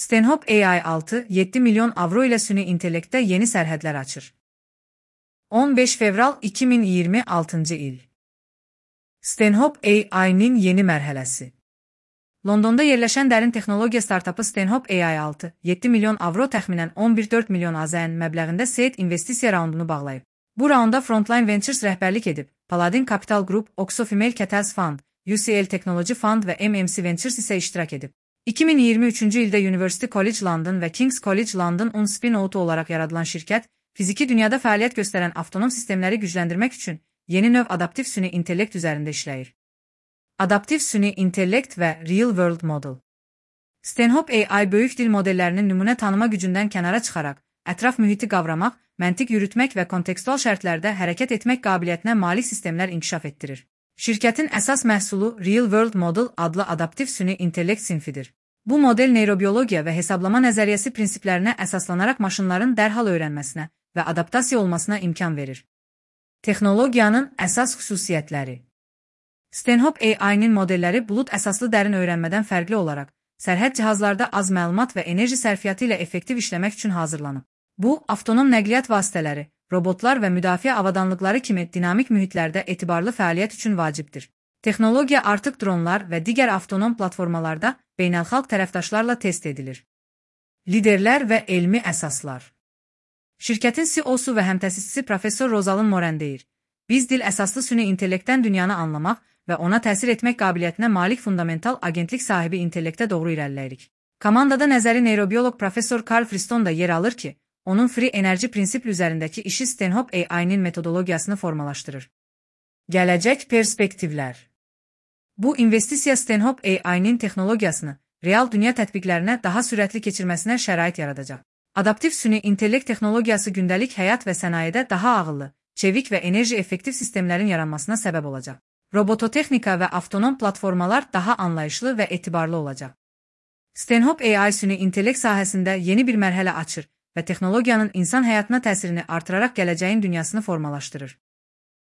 Stanhope AI 6-7 milyon avro ilə süni intellektdə yeni sərhədlər açır. 15 fevral 2026 il. Stanhope AI-nin yeni mərhələsi. Londonda yerləşən dərin texnologiya startapı Stanhope AI 6-7 milyon avro təxminən 11,4 milyon AZN məbləğində seed investisiya raundunu bağlayıb. Bu raunda Frontline Ventures rəhbərlik edib, Paladin Capital Group, Oxo Female Catalyst Fund, UCL Technology Fund və MMC Ventures isə iştirak edib. 2023-cü ildə University College London və King's College London spin-out olaraq yaradılan şirkət, fiziki dünyada fəaliyyət göstərən avtonom sistemləri gücləndirmək üçün yeni növ adaptiv süni intellekt üzərində işləyir. Adaptiv süni intellekt və Real World Model. Stanhope AI böyük dil modellərinin nümunə tanıma gücündən kənara çıxaraq, ətraf mühiti qavramaq, məntiq yürütmək və kontekstual şərtlərdə hərəkət etmək qabiliyyətinə malik sistemlər inkişaf etdirir. Şirkətin əsas məhsulu Real World Model adlı adaptiv süni intellekt sinfidir. Bu model neyrobiologiya və hesablama nəzəriyyəsi prinsiplərinə əsaslanaraq maşınların dərhal öyrənməsinə və adaptasiya olmasına imkan verir. Texnologiyanın əsas xüsusiyyətləri. Stanhope AI-nin modelləri bulud əsaslı dərin öyrənmədən fərqli olaraq, sərhəd cihazlarda az məlumat və enerji sərfiyyatı ilə effektiv işləmək üçün hazırlanıb. Bu, avtonom nəqliyyat vasitələri, robotlar və müdafiə avadanlıqları kimi dinamik mühitlərdə etibarlı fəaliyyət üçün vacibdir. Texnologiya artıq dronlar və digər avtonom platformalarda beynəlxalq tərəfdaşlarla test edilir. Liderlər və elmi əsaslar. Şirkətin CEO-su və həmtəsisçisi Professor Rosalind Moran deyir, biz dil əsaslı süni intellektdən dünyanı anlamaq və ona təsir etmək qabiliyyətinə malik fundamental agentlik sahibi intellektə doğru irəliləyirik. Komandada nəzəri neyrobioloq Professor Carl Friston da yer alır ki, onun free enerji prinsipli üzərindəki işi Stanhope AI-nin metodologiyasını formalaşdırır. Gələcək perspektivlər. Bu investisiya Stanhope AI-nin texnologiyasını real dünya tətbiqlərinə daha sürətli keçirməsinə şərait yaradacaq. Adaptiv süni intellekt texnologiyası gündəlik həyat və sənayedə daha ağıllı, çevik və enerji effektiv sistemlərin yaranmasına səbəb olacaq. Robototexnika və avtonom platformalar daha anlayışlı və etibarlı olacaq. Stanhope AI süni intellekt sahəsində yeni bir mərhələ açır və texnologiyanın insan həyatına təsirini artıraraq gələcəyin dünyasını formalaşdırır.